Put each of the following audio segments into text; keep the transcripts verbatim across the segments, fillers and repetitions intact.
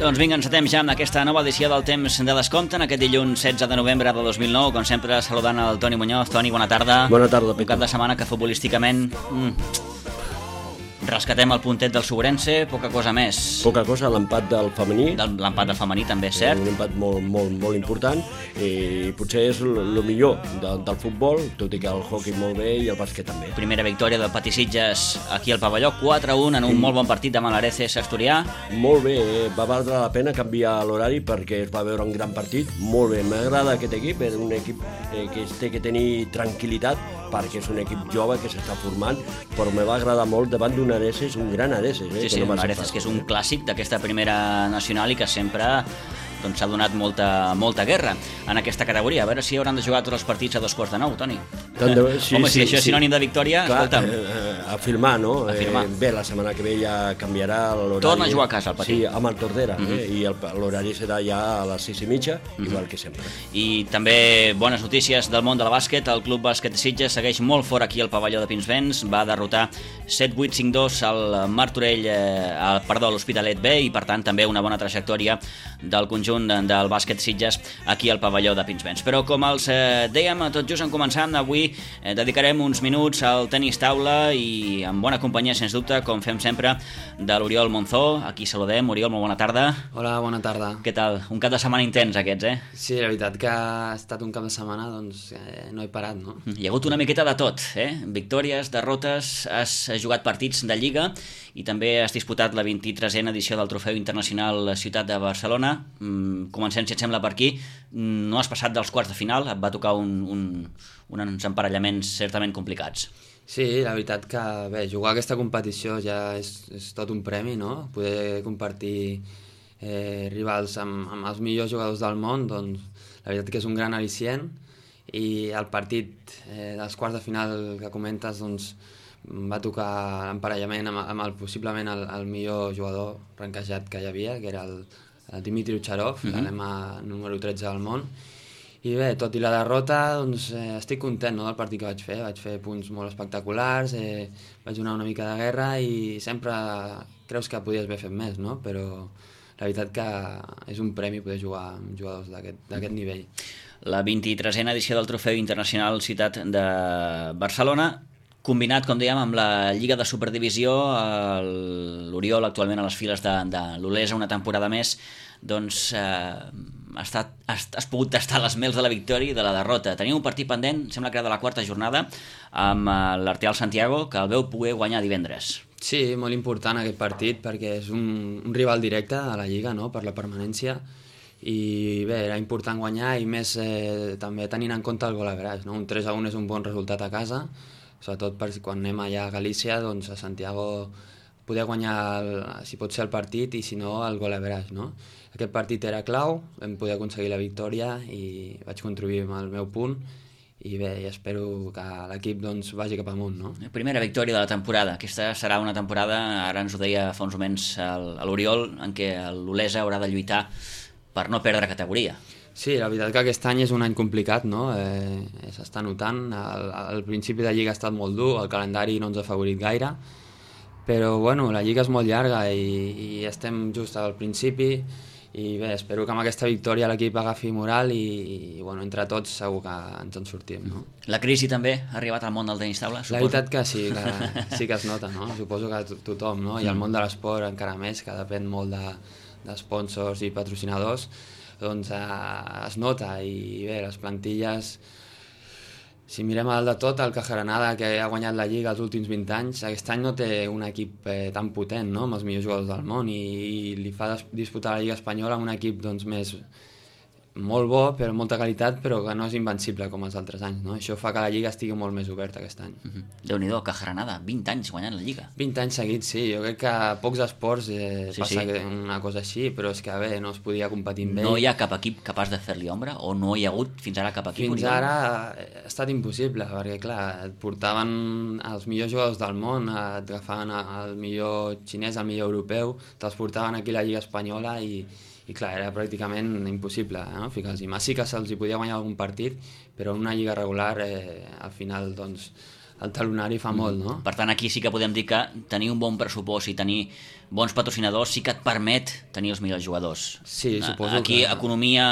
Doncs vinga, encetem ja amb aquesta nova edició del Temps de Descompte, en aquest dilluns setze de novembre de dos mil nou, com sempre saludant el Toni Muñoz. Toni, bona tarda. Bona tarda, Peter. Un cap de setmana que futbolísticament... Mm, rescatem el puntet del Sobrense, poca cosa més. Poca cosa, l'empat del femení. L'empat del femení també és cert. Un empat molt, molt, molt important i potser és el millor de, del futbol, tot i que el hockey molt bé i el bàsquet també. Primera victòria del Patisitges aquí al pavelló, quatre a un en un molt bon partit davant l'Areces Asturià. Molt bé, eh? Va valdre la pena canviar l'horari perquè es va veure un gran partit. Molt bé, m'agrada aquest equip, és un equip eh, que té que tenir tranquil·litat perquè és un equip jove que s'està formant, però me va agradar molt davant d'un Areces, un gran Areces. Eh, sí, sí, no un Areces que és un clàssic d'aquesta primera nacional i que sempre doncs, s'ha donat molta, molta guerra en aquesta categoria. A veure si hauran de jugar tots els partits a dos quarts de nou, Toni. De... Sí, Home, sí, si això és sí. sinònim de victòria, clar, escolta'm. Eh, a firmar, no? A firmar. Eh, bé, la setmana que ve ja canviarà l'horari. Torna a jugar a casa, el Patí. Sí, amb el Tordera, uh -huh. eh? I l'horari serà ja a les sis i mitja, uh -huh. igual que sempre. I també bones notícies del món del bàsquet. El Club Bàsquet Sitges segueix molt fort aquí al pavelló de Pinsbens. Va derrotar set vuit cinc dos al Martorell, eh, al, perdó, a l'Hospitalet B, i per tant també una bona trajectòria del conjunt del bàsquet Sitges aquí al pavelló de Pinsbens. Però com els eh, dèiem tot just en començant, avui eh, dedicarem uns minuts al tenis taula i amb bona companyia, sens dubte, com fem sempre, de l'Oriol Monzó. Aquí saludem. Oriol, molt bona tarda. Hola, bona tarda. Què tal? Un cap de setmana intens aquests, eh? Sí, la veritat que ha estat un cap de setmana, doncs eh, no he parat, no? Hi ha hagut una miqueta de tot, eh? Victòries, derrotes, has jugat partits de Lliga i també has disputat la vint-i-tresena edició del Trofeu Internacional Ciutat de Barcelona. Mm, comencem, si et sembla, per aquí. No has passat dels quarts de final, et va tocar un, un, uns emparellaments certament complicats. Sí, la veritat que, bé, jugar a aquesta competició ja és, és tot un premi, no? Poder compartir eh, rivals amb, amb els millors jugadors del món, doncs la veritat que és un gran al·licient, i el partit eh, dels quarts de final que comentes, doncs va tocar l'emparellament amb, amb el, possiblement el, el millor jugador ranquejat que hi havia, que era el, el Dimitri Ucharov, uh -huh. l'alema número tretze del món. I bé, tot i la derrota, doncs eh, estic content, no, del partit que vaig fer. Vaig fer punts molt espectaculars, eh, vaig donar una mica de guerra i sempre creus que podies haver fet més, no? Però la veritat que és un premi poder jugar amb jugadors d'aquest nivell. La vint-i-tresena edició del Trofeu Internacional Ciutat de Barcelona, combinat, com dèiem, amb la Lliga de Superdivisió, l'Oriol actualment a les files de, de l'Olesa una temporada més, doncs eh, has, estat, has, has pogut tastar les mels de la victòria i de la derrota. Teniu un partit pendent, sembla que era de la quarta jornada, amb l'Arteal Santiago, que el veu poder guanyar divendres. Sí, molt important aquest partit, perquè és un, un rival directe a la Lliga, no?, per la permanència, i bé, era important guanyar, i més eh, també tenint en compte el gol average, no? Un tres a un és un bon resultat a casa, sobretot per quan anem allà a Galícia, doncs a Santiago poder guanyar, el, si pot ser el partit, i si no, el gol average, no? Aquest partit era clau, vam poder aconseguir la victòria i vaig contribuir amb el meu punt, i bé, i espero que l'equip doncs, vagi cap amunt, no? Primera victòria de la temporada. Aquesta serà una temporada, ara ens ho deia fa uns moments l'Oriol, en què l'Olesa haurà de lluitar per no perdre categoria. Sí, la veritat que aquest any és un any complicat, no? Eh, s'està notant, el, el principi de Lliga ha estat molt dur, el calendari no ens ha favorit gaire, però bueno, la Lliga és molt llarga i, i estem just al principi, i bé, espero que amb aquesta victòria l'equip agafi moral i, i bueno, entre tots segur que ens en sortim, no? La crisi també ha arribat al món del tenis taula, suposo? La veritat que sí, que sí que es nota, no? Suposo que tothom, no? I el món de l'esport encara més, que depèn molt de, de sponsors i patrocinadors, doncs eh, es nota, i bé, les plantilles, si mirem a dalt de tot, el Cajaranada, que ha guanyat la Lliga els últims vint anys, aquest any no té un equip eh, tan potent, no?, amb els millors jugadors del món, i, i li fa disputar la Lliga Espanyola amb un equip doncs, més molt bo, però molta qualitat, però que no és invencible com els altres anys, no? Això fa que la Lliga estigui molt més oberta aquest any. Uh -huh. Déu-n'hi-do, Cajaranada, vint anys guanyant la Lliga. vint anys seguits, sí. Jo crec que a pocs esports eh, sí, passa sí. una cosa així, però és que bé, no es podia competir amb ell. No hi ha cap equip capaç de fer-li ombra? O no hi ha hagut fins ara cap equip? Fins ara ha estat impossible, perquè clar, et portaven els millors jugadors del món, et agafaven el millor xinès, el millor europeu, te'ls portaven aquí a la Lliga Espanyola i i clar, era pràcticament impossible, no?, ficar-los. I més sí que se'ls hi podia guanyar algun partit, però en una lliga regular eh, al final doncs el talonari fa molt, no? Per tant, aquí sí que podem dir que tenir un bon pressupost i tenir bons patrocinadors sí que et permet tenir els millors jugadors. Sí, suposo aquí, que... Aquí, economia,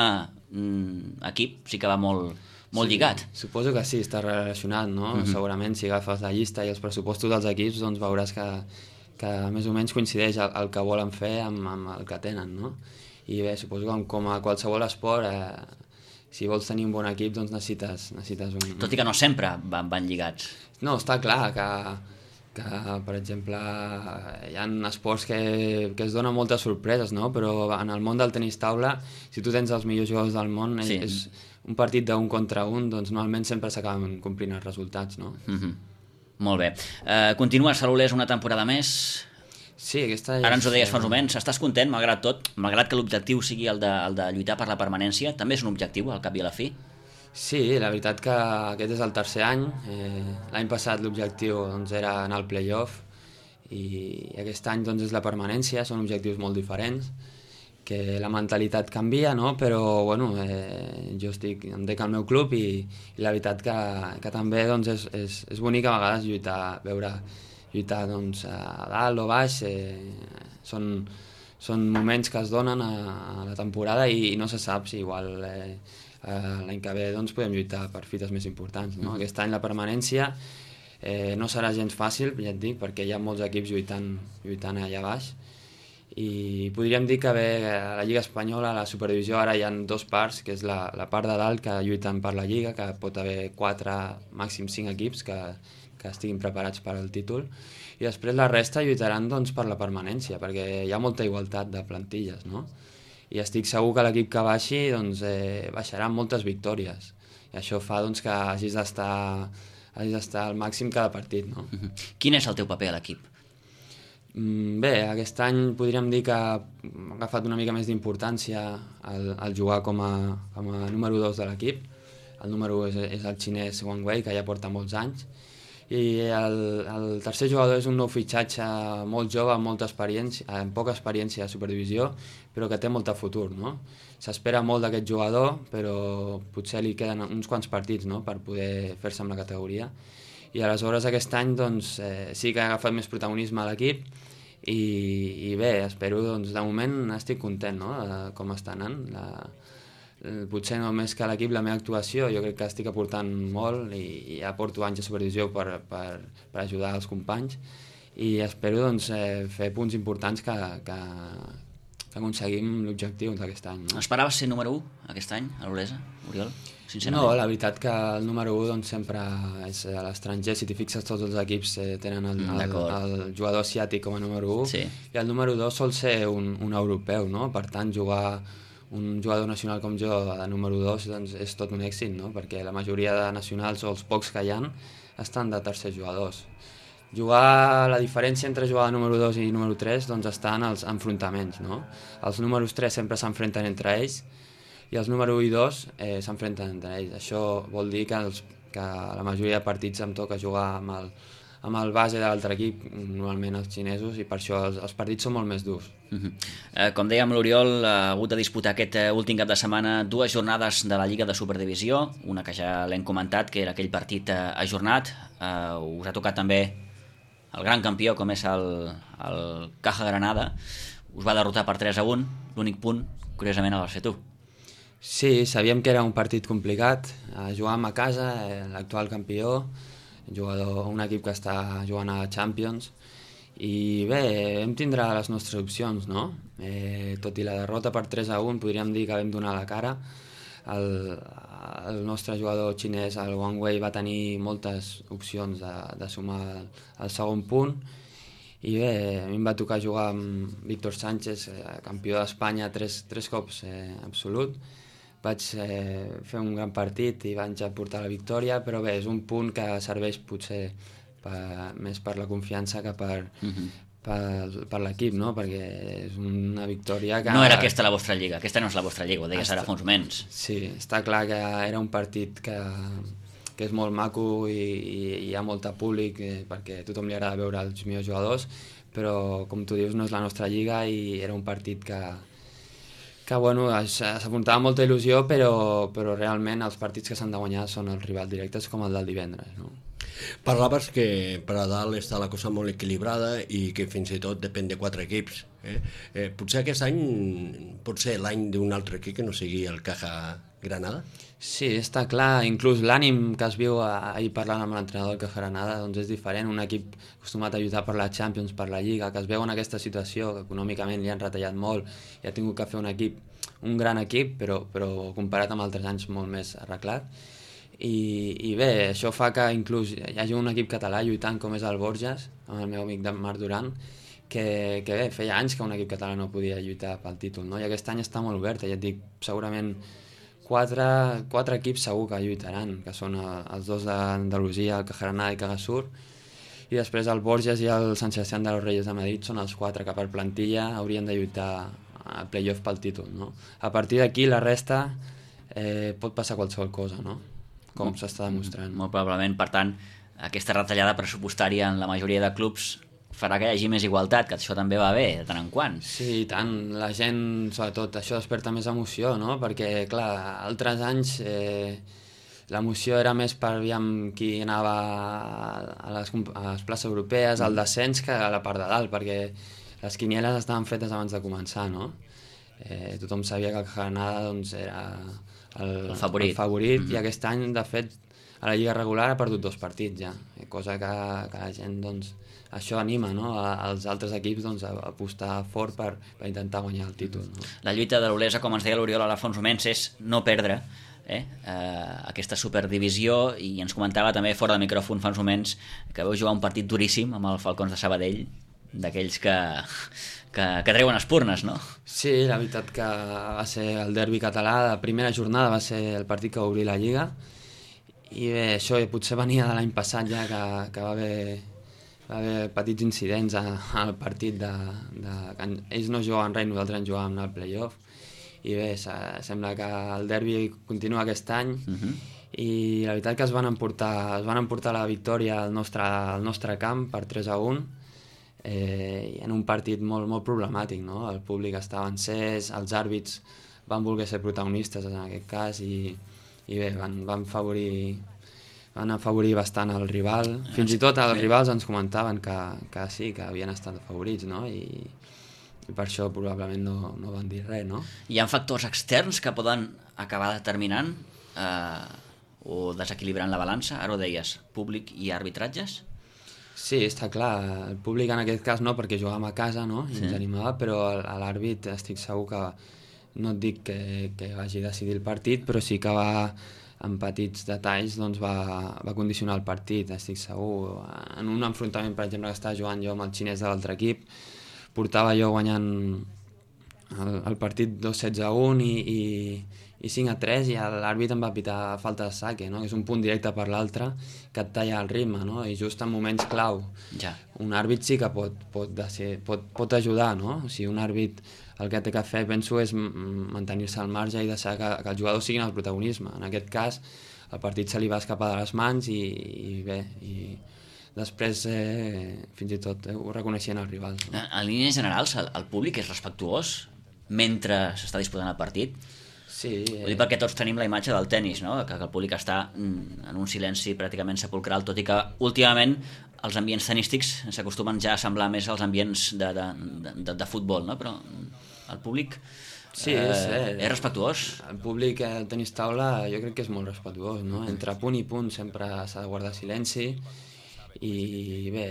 equip, sí que va més molt sí, lligat. Suposo que sí, està relacionat, no? Mm-hmm. Segurament, si agafes la llista i els pressupostos dels equips, doncs veuràs que, que més o menys coincideix el, el que volen fer amb, amb el que tenen, no? I bé, suposo que com a qualsevol esport... Eh, si vols tenir un bon equip, doncs necessites, necessites un... Tot i que no sempre van, van lligats. No, està clar que, que per exemple, hi ha esports que, que es donen moltes sorpreses, no? Però en el món del tenis taula, si tu tens els millors jugadors del món, sí. és un partit d'un contra un, doncs normalment sempre s'acaben complint els resultats, no? Mm-hmm. Molt bé. Uh, continues a l'Olesa una temporada més... Sí, aquesta és... Ara ens ho deies fa uns moments, estàs content, malgrat tot, malgrat que l'objectiu sigui el de, el de lluitar per la permanència, també és un objectiu, al cap i a la fi? Sí, la veritat que aquest és el tercer any, eh, l'any passat l'objectiu doncs, era anar al play-off i aquest any doncs, és la permanència, són objectius molt diferents, que la mentalitat canvia, no? Però bueno, eh, jo estic, em dec al meu club i, i la veritat que, que també doncs, és, és, és bonic a vegades lluitar, veure lluitar doncs, a dalt o baix, eh, són, són moments que es donen a, a la temporada i, i no se sap si igual eh, l'any que ve doncs, podem lluitar per fites més importants. No? Aquest any la permanència eh, no serà gens fàcil, ja et dic, perquè hi ha molts equips lluitant, lluitant allà baix i podríem dir que bé, a la Lliga Espanyola, a la Superdivisió, ara hi ha dos parts, que és la, la part de dalt que lluiten per la Lliga, que pot haver quatre, màxim cinc equips que que estiguin preparats per al títol, i després la resta lluitaran doncs, per la permanència, perquè hi ha molta igualtat de plantilles, no? I estic segur que l'equip que baixi doncs, eh, baixarà amb moltes victòries, i això fa doncs, que hagis d'estar hagis d'estar al màxim cada partit, no? Quin és el teu paper a l'equip? Bé, aquest any podríem dir que ha agafat una mica més d'importància el, el jugar com a, com a número dos de l'equip. El número un és, és el xinès Wang Wei, que ja porta molts anys, i el, el tercer jugador és un nou fitxatge molt jove, amb molta experiència, amb poca experiència a Superdivisió, però que té molt futur, no? S'espera molt d'aquest jugador, però potser li queden uns quants partits, no?, per poder fer-se amb la categoria. I aleshores aquest any doncs, eh, sí que ha agafat més protagonisme a l'equip i, i bé, espero, doncs, de moment estic content, no?, de com està anant. La, potser només que l'equip, la meva actuació, jo crec que estic aportant molt i, i ja porto anys a Superdivisió per, per, per ajudar els companys i espero doncs, eh, fer punts importants que, que, que aconseguim l'objectiu d'aquest any. No? Esperaves ser número u aquest any a l'Olesa, Oriol? Sincerament. No, la veritat que el número u doncs, sempre és a l'estranger. Si t'hi fixes, tots els equips eh, tenen el, el, el jugador asiàtic com a número u, sí. I el número dos sol ser un, un europeu, no? Per tant, jugar un jugador nacional com jo de número dos doncs, és tot un èxit, no? Perquè la majoria de nacionals o els pocs que hi ha estan de tercers jugadors. Jugar, la diferència entre jugar de número dos i número tres doncs, està en els enfrontaments, no? Els números tres sempre s'enfrenten entre ells i els número u i dos eh, s'enfrenten entre ells. Això vol dir que, els, que la majoria de partits em toca jugar amb el, amb el base de l'altre equip, normalment els xinesos, i per això els, els partits són molt més durs. Uh-huh. eh, com dèiem, l'Oriol ha hagut de disputar aquest uh, últim cap de setmana dues jornades de la Lliga de Superdivisió, una que ja l'hem comentat, que era aquell partit uh, ajornat. Uh, us ha tocat també el gran campió, com és el, el Caja Granada. Us va derrotar per tres a un, l'únic punt, curiosament, el vas fer tu. Sí, sabíem que era un partit complicat, eh, jugàvem a casa, eh, l'actual campió, jugador, un equip que està jugant a Champions, i bé, vam tindre les nostres opcions, no? Eh, tot i la derrota per tres a un, podríem dir que vam donar la cara. El, el nostre jugador xinès, el Wang Wei, va tenir moltes opcions de, de sumar el, el segon punt, i bé, a mi em va tocar jugar amb Víctor Sánchez, eh, campió d'Espanya tres, tres cops eh, absolut. Vaig eh, fer un gran partit i vaig aportar la victòria, però bé, és un punt que serveix potser per, més per la confiança que per, uh-huh. per, per l'equip, no? Perquè és una victòria que... No era aquesta la vostra lliga, aquesta no és la vostra lliga, ho deies està... ara fa uns moments. Sí, està clar que era un partit que, que és molt maco i, i hi ha molt públic, eh, perquè a tothom li agrada veure els millors jugadors, però com tu dius no és la nostra lliga i era un partit que que bueno, s'apuntava molta il·lusió, però, però realment els partits que s'han de guanyar són els rivals directes com el del divendres, no? Parlaves que per a dalt està la cosa molt equilibrada i que fins i tot depèn de quatre equips. Eh? Eh, potser aquest any pot ser l'any d'un altre equip que no sigui el Caja Granada? Sí, està clar, inclús l'ànim que es viu ahir parlant amb l'entrenador del Caja Granada doncs és diferent, un equip acostumat a lluitar per la Champions, per la Lliga, que es veu en aquesta situació, que econòmicament li han retallat molt i ha tingut que fer un equip, un gran equip, però, però comparat amb altres anys molt més arreglat. I, i bé, això fa que inclús hi hagi un equip català lluitant com és el Borges, amb el meu amic Marc Duran, que, que bé, feia anys que un equip català no podia lluitar pel títol, no? I aquest any està molt obert, ja et dic, segurament quatre, quatre equips segur que lluitaran, que són els dos d'Andalusia, el Caja Granada i Cagasur, i després el Borges i el Sant Sebastián de los Reyes de Madrid són els quatre que per plantilla haurien de lluitar a playoff pel títol, no? A partir d'aquí la resta eh, pot passar qualsevol cosa, no? Com s'està demostrant. Molt probablement, per tant, aquesta retallada pressupostària en la majoria de clubs farà que hi hagi més igualtat, que això també va bé, de tant en quant. Sí, i tant. La gent, sobretot, això desperta més emoció, no? Perquè, clar, altres anys eh, l'emoció era més per aviam qui anava a les, a les places europees, al descens, que a la part de dalt, perquè les quinieles estaven fetes abans de començar, no? Eh, tothom sabia que el Granada doncs, era el, el favorit, el favorit mm-hmm. i aquest any, de fet, a la Lliga regular ha perdut dos partits ja, cosa que, que la gent, doncs, això anima, no? als altres equips doncs, a apostar fort per, per intentar guanyar el títol. No? La lluita de l'Olesa, com ens deia l'Oriol Alfonso Mens, és no perdre eh? Eh, aquesta superdivisió, i ens comentava també fora de micròfon fa uns moments que veu jugar un partit duríssim amb el Falcons de Sabadell, d'aquells que, que, que treuen espurnes, no? Sí, la veritat que va ser el derbi català, la primera jornada va ser el partit que va obrir la Lliga, i bé, això potser venia de l'any passat ja, que, que va haver, va haver petits incidents al partit de, de, que ells no jugaven res, nosaltres en jugàvem al playoff, i bé, sembla que el derbi continua aquest any, uh-huh. i la veritat que es van emportar, es van emportar la victòria al nostre, al nostre camp per tres a un, eh, en un partit molt, molt problemàtic, no? El públic estava encès, els àrbits van voler ser protagonistes en aquest cas, i, i bé, van, van afavorir van afavorir bastant el rival, fins i tot els rivals ens comentaven que, que sí, que havien estat favorits, no? I, i per això probablement no, no van dir res, no? Hi ha factors externs que poden acabar determinant eh, o desequilibrant la balança, ara ho deies, públic i arbitratges? Sí, està clar, el públic en aquest cas no, perquè jugàvem a casa, no? I sí. ens animava, però a l'àrbit estic segur que, no et dic que, que vagi decidir el partit, però sí que va, en petits detalls, doncs va, va condicionar el partit, estic segur. En un enfrontament, per exemple, que estava jugant jo amb el xinès de l'altre equip, portava jo guanyant el, el partit dos setze a un i, i, i cinc a tres, i l'àrbit em va pitar falta de saque, no? Que és un punt directe per l'altre que et talla el ritme, no? I just en moments clau. Ja. Un àrbit sí que pot, pot, ser, pot, pot ajudar, no? O sigui, un àrbit el que té que fer, penso, és mantenir-se al marge i deixar que, que els jugadors siguin el protagonisme. En aquest cas, el partit se li va escapar de les mans i, i bé, i després eh, fins i tot eh, ho reconeixien els rivals. No? En línies generals, el, el públic és respectuós mentre s'està disputant el partit? Sí. Eh... Vull dir, perquè tots tenim la imatge del tennis, no? Que, que el públic està en un silenci pràcticament sepulcral, tot i que últimament els ambients tenístics s'acostumen ja a semblar més als ambients de, de, de, de futbol, no? Però el públic sí, és, eh, és respectuós. El públic, el tenis taula, jo crec que és molt respectuós, no? Entre punt i punt sempre s'ha de guardar silenci, i bé,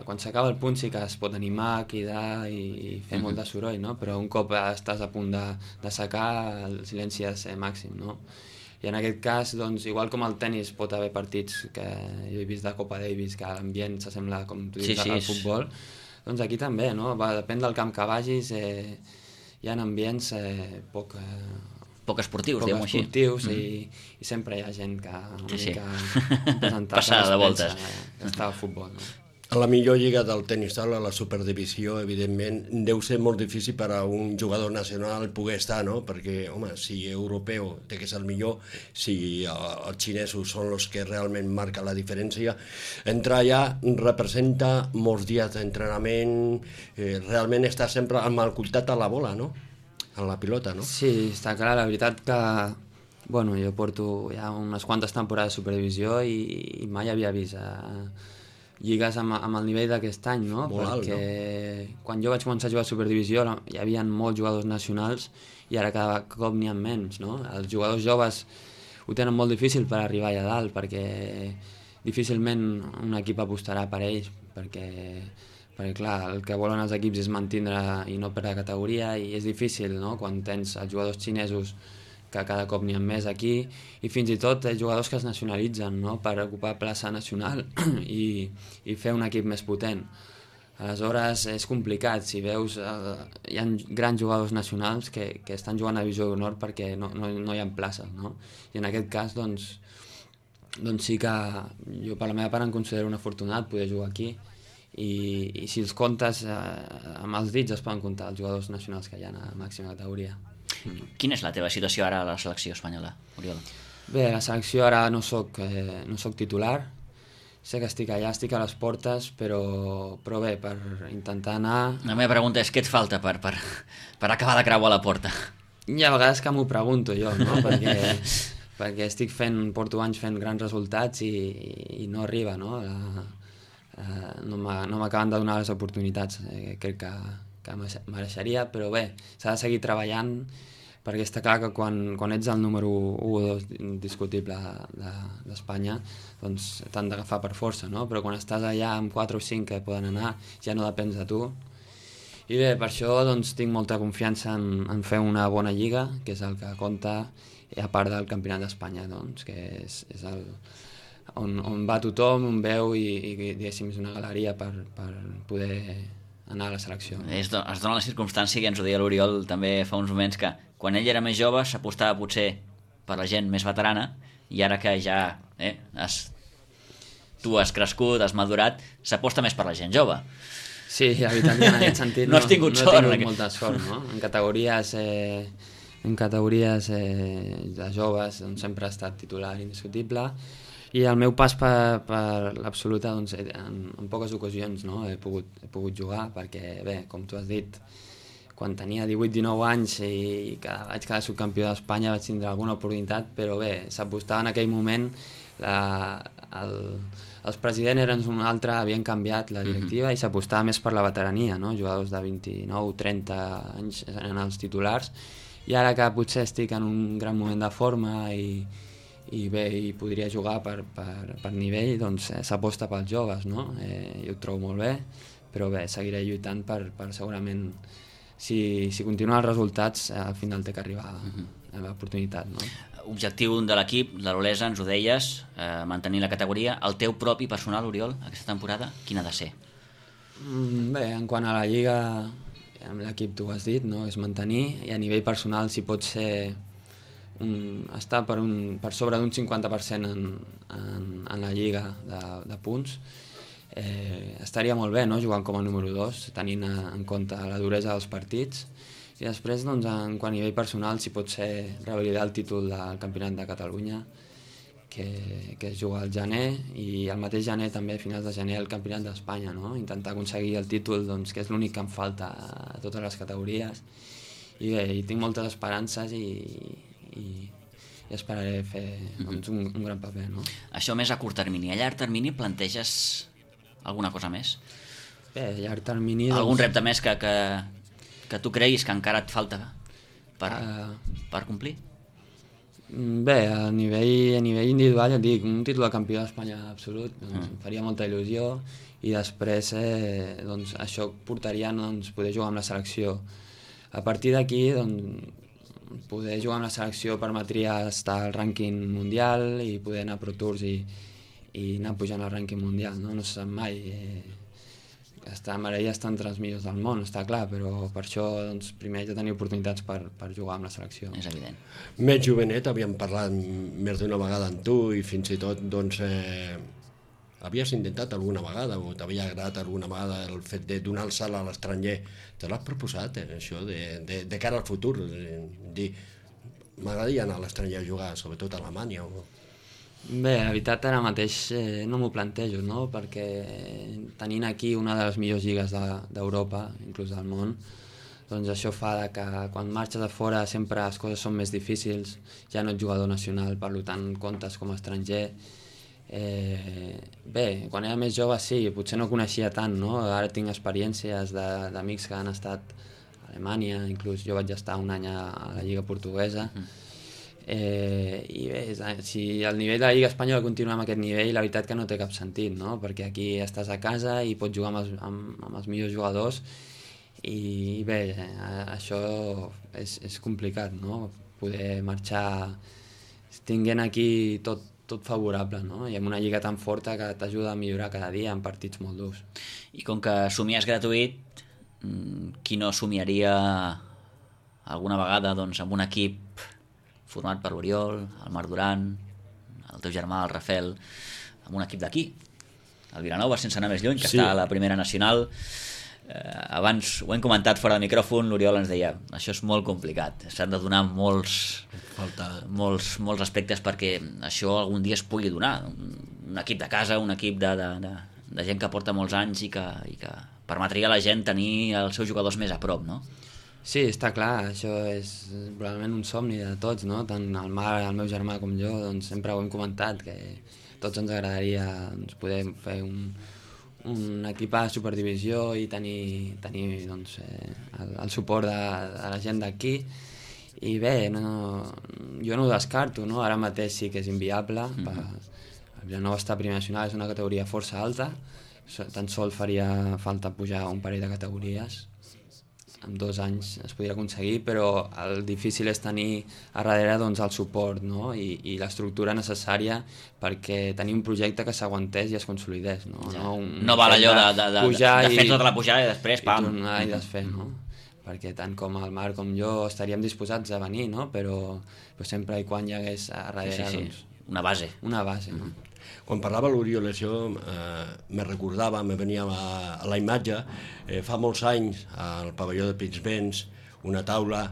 quan s'acaba el punt sí que es pot animar, cridar i fer molt de soroll, no? Però un cop estàs a punt de, de secar, el silenci ha de ser màxim, no? I en aquest cas, doncs, igual com el tennis pot haver partits que jo he vist de Copa Davis, que l'ambient s'assembla, com tu dius, sí, sí, al futbol, doncs aquí també, no? Va, depèn del camp que vagis, eh, hi ha ambients eh, poc... Eh, poc esportius, poc diguem-ho així. esportius, mm. i, i sempre hi ha gent que una sí, mica sí. Passada de voltes. Que està al futbol, no? A la millor lliga del tenis taula, la superdivisió, evidentment, deu ser molt difícil per a un jugador nacional poder estar, no? Perquè, home, si europeu té que ser el millor, si els xinesos són els que realment marquen la diferència, entrar allà representa molts dies d'entrenament, eh, realment està sempre amb el contacte a la bola, no? A la pilota, no? Sí, està clar, la veritat que Bueno, jo porto ja unes quantes temporades de Superdivisió i, i mai havia vist eh, lligues amb, amb el nivell d'aquest any, no? Molt alt, Perquè no? Quan jo vaig començar a jugar a Superdivisió hi havia molts jugadors nacionals i ara cada cop n'hi ha menys, no? Els jugadors joves ho tenen molt difícil per arribar allà dalt perquè difícilment un equip apostarà per ells perquè, perquè clar, el que volen els equips és mantindre i no perdre categoria i és difícil, no? Quan tens els jugadors xinesos que cada cop n'hi ha més aquí i fins i tot jugadors que es nacionalitzen, no? Per ocupar plaça nacional i, i fer un equip més potent. Aleshores és complicat, si veus eh, hi ha grans jugadors nacionals que, que estan jugant a Divisió d'Honor perquè no, no, no hi ha places, no? I en aquest cas doncs, doncs sí que jo per la meva part em considero un afortunat poder jugar aquí i, i si els comptes eh, amb els dits es poden comptar els jugadors nacionals que hi ha a màxima categoria. Quina és la teva situació ara a la selecció espanyola, Oriol? Bé, a la selecció ara no soc, eh, no soc titular, sé que estic allà, estic a les portes, però, però bé, per intentar anar... La meva pregunta és què et falta per, per, per acabar de creuar la porta? Hi ha vegades que m'ho pregunto jo, no? perquè, perquè estic fent, porto anys fent grans resultats i, i no arriba, no? La, eh, no m'acaben de donar les oportunitats, eh, crec que, que mereixeria, però bé, s'ha de seguir treballant perquè està clar que quan, quan ets el número u o dos indiscutible d'Espanya, doncs t'han d'agafar per força, no? Però quan estàs allà amb quatre o cinc que poden anar, ja no depens de tu. I bé, per això doncs, tinc molta confiança en, en fer una bona lliga, que és el que compta, a part del Campionat d'Espanya, doncs, que és, és el, on, on va tothom, on veu i, i diguéssim, és una galeria per, per poder anar a la selecció. Es, do, es dona la circumstància que ens ho deia l'Oriol també fa uns moments que quan ell era més jove s'apostava potser per la gent més veterana i ara que ja eh, has, tu has crescut, has madurat, s'aposta més per la gent jove. Sí, la veritat que en aquest sentit no, no has tingut no, sort. No he tingut molta sort, no? En categories, eh, en categories eh, de joves doncs, sempre ha estat titular indiscutible i el meu pas per, per l'absoluta doncs, en, en poques ocasions no? he, pogut, he pogut jugar perquè, bé, com tu has dit, quan tenia divuit dinou anys i cada, vaig quedar subcampió d'Espanya vaig tindre alguna oportunitat, però bé, s'apostava en aquell moment, la, el, els presidents eren un altre, havien canviat la directiva mm-hmm. i s'apostava més per la veterania, no? Jugadors de vint-i-nou trenta anys eren els titulars i ara que potser estic en un gran moment de forma i, i bé, i podria jugar per, per, per nivell, doncs eh, s'aposta pels joves, no? Eh, jo ho trobo molt bé, però bé, seguiré lluitant per, per segurament si, si continuen els resultats eh, al final té que arribar uh-huh. a l'oportunitat, no? Objectiu de l'equip, de l'Olesa, ens ho deies, eh, mantenir la categoria. El teu propi personal, Oriol, aquesta temporada, quin ha de ser? Mm, bé, en quant a la Lliga, amb l'equip tu ho has dit, no? És mantenir, i a nivell personal si pot ser un, estar per, un, per sobre d'un cinquanta per cent en, en, en la Lliga de, de punts, eh, estaria molt bé, no? Jugant com a número dos, tenint en compte la duresa dels partits, i després, doncs, en quant a nivell personal, si pot ser revalidar el títol del Campionat de Catalunya, que, que es juga al gener, i el mateix gener també, a finals de gener, el Campionat d'Espanya, no? Intentar aconseguir el títol, doncs, que és l'únic que em falta a totes les categories. I bé, i tinc moltes esperances i, i, i esperaré fer doncs, un, un gran paper, no? Això més a curt termini. A llarg termini planteges alguna cosa més? Bé, a llarg termini... Doncs... Algun repte més que, que, que tu creguis que encara et falta per, uh... per complir? Bé, a nivell, a nivell individual, ja et dic, un títol de campió d'Espanya absolut, doncs, mm. em faria molta il·lusió, i després eh, doncs, això portaria doncs, poder jugar amb la selecció. A partir d'aquí, doncs, poder jugar amb la selecció permetria estar al rànquing mundial i poder anar a Pro Tours i, i anar pujant al rànquing mundial, no, no se sap mai. Eh, està, m'agradaria estar entre els millors del món, està clar, però per això doncs, primer haig de tenir oportunitats per, per jugar amb la selecció. És evident. Més jovenet, havíem parlat més d'una vegada amb tu i fins i tot doncs, eh, havies intentat alguna vegada o t'havia agradat alguna vegada el fet de donar el salt a l'estranger. Te l'has proposat, eh, això, de, de, de cara al futur? De, dir, m'agradaria anar a l'estranger a jugar, sobretot a Alemanya o... Bé, la veritat ara mateix eh, no m'ho plantejo, no? Perquè tenint aquí una de les millors lligues d'Europa, de, inclús del món, doncs això fa que quan marxes a fora sempre les coses són més difícils, ja no ets jugador nacional, per tant comptes com a estranger. Eh, bé, quan era més jove sí, potser no coneixia tant, no? Ara tinc experiències d'amics que han estat a Alemanya, inclús jo vaig estar un any a la Lliga Portuguesa. Eh, i bé, si el nivell de la Lliga Espanyola continua amb aquest nivell, la veritat que no té cap sentit, no? Perquè aquí estàs a casa i pots jugar amb els, amb, amb els millors jugadors i bé, això és, és complicat, no? Poder marxar tinguent aquí tot, tot favorable, no? I amb una lliga tan forta que t'ajuda a millorar cada dia en partits molt durs. I com que somiar és gratuït, qui no somiaria alguna vegada doncs, amb un equip format per l'Oriol, el Marc Duran, el teu germà, el Rafael, amb un equip d'aquí, el Vilanova, sense anar més lluny, que sí. Està a la primera nacional. Eh, abans ho hem comentat fora de micròfon, l'Oriol ens deia, això és molt complicat, s'han de donar molts, Falta... molts, molts aspectes perquè això algun dia es pugui donar. Un equip de casa, un equip de, de, de, de gent que porta molts anys i que, i que permetria a la gent tenir els seus jugadors més a prop, no? Sí, està clar, això és probablement un somni de tots, no? Tant el Marc, el meu germà com jo, doncs sempre ho hem comentat, que tots ens agradaria doncs, poder fer un, un equip a Superdivisió i tenir, tenir doncs, eh, el, el suport de, de la gent d'aquí. I bé, no, jo no ho descarto, no? Ara mateix sí que és inviable. Mm-hmm. Per, el Vilanova està a primera nacional, és una categoria força alta, tan sols faria falta pujar un parell de categories. En dos anys es podria aconseguir, però el difícil és tenir a darrere doncs, el suport, no? I, i l'estructura necessària perquè tenir un projecte que s'aguantés i es consolidés. No, ja. no, un, no val allò de, de, de, de, de fer i, tota la pujada i després pam. I tornar i desfer, no? Perquè tant com el Marc com jo estaríem disposats a venir, no? Però, però sempre i quan hi hagués a darrere sí, sí, sí. Doncs, una base. Una base, no? Mm-hmm. Quan parlava l'Oriol, això eh, me recordava, me venia a la, a la imatge, eh, fa molts anys al pavelló de Pinsbens, una taula,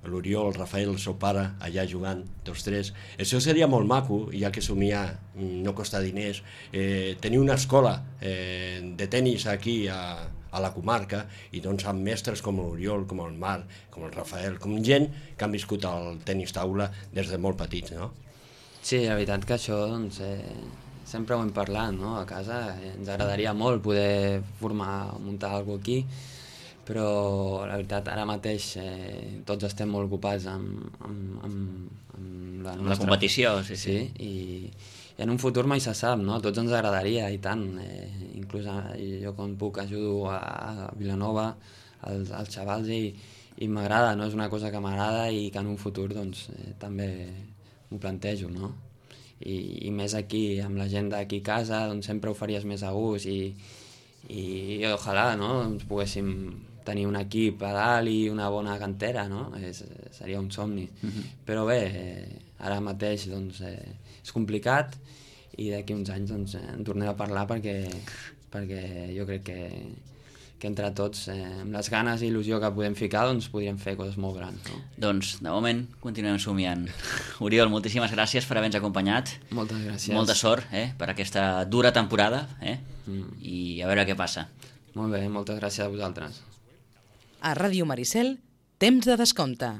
l'Oriol, el Rafael, el seu pare, allà jugant, tots tres. Això seria molt maco, ja que somiar no costa diners, eh, tenir una escola eh, de tennis aquí a, a la comarca i doncs amb mestres com l'Oriol, com el Marc, com el Rafael, com gent que han viscut el tenis taula des de molt petits, no? Sí, la veritat que això, doncs, eh, sempre ho hem parlat, no? A casa ens agradaria molt poder formar, muntar alguna cosa aquí, però la veritat ara mateix eh, tots estem molt ocupats amb, amb, amb, amb la, amb nostra... la competició, sí, sí. sí i, i en un futur mai se sap, no? Tots ens agradaria i tant, eh, inclús jo quan puc ajudo a, a Vilanova, als, als xavals i, i m'agrada, no? És una cosa que m'agrada i que en un futur doncs, eh, també m'ho plantejo, no? I, i més aquí, amb la gent d'aquí a casa, doncs sempre ho faries més a gust i, i, i ojalà, no? Doncs poguéssim tenir un equip a dalt i una bona cantera, no? És, seria un somni. Mm-hmm. Però bé, eh, ara mateix doncs, eh, és complicat i d'aquí uns anys doncs, en tornem a parlar perquè, perquè jo crec que que entre tots, eh, amb les ganes i il·lusió que podem ficar, doncs podríem fer coses molt grans. No? Doncs, de moment, continuem somiant. Oriol, moltíssimes gràcies per haver-nos acompanyat. Moltes gràcies. Molta sort eh, per aquesta dura temporada eh? mm. i a veure què passa. Molt bé, moltes gràcies a vosaltres. A Ràdio Maricel, temps de descompte.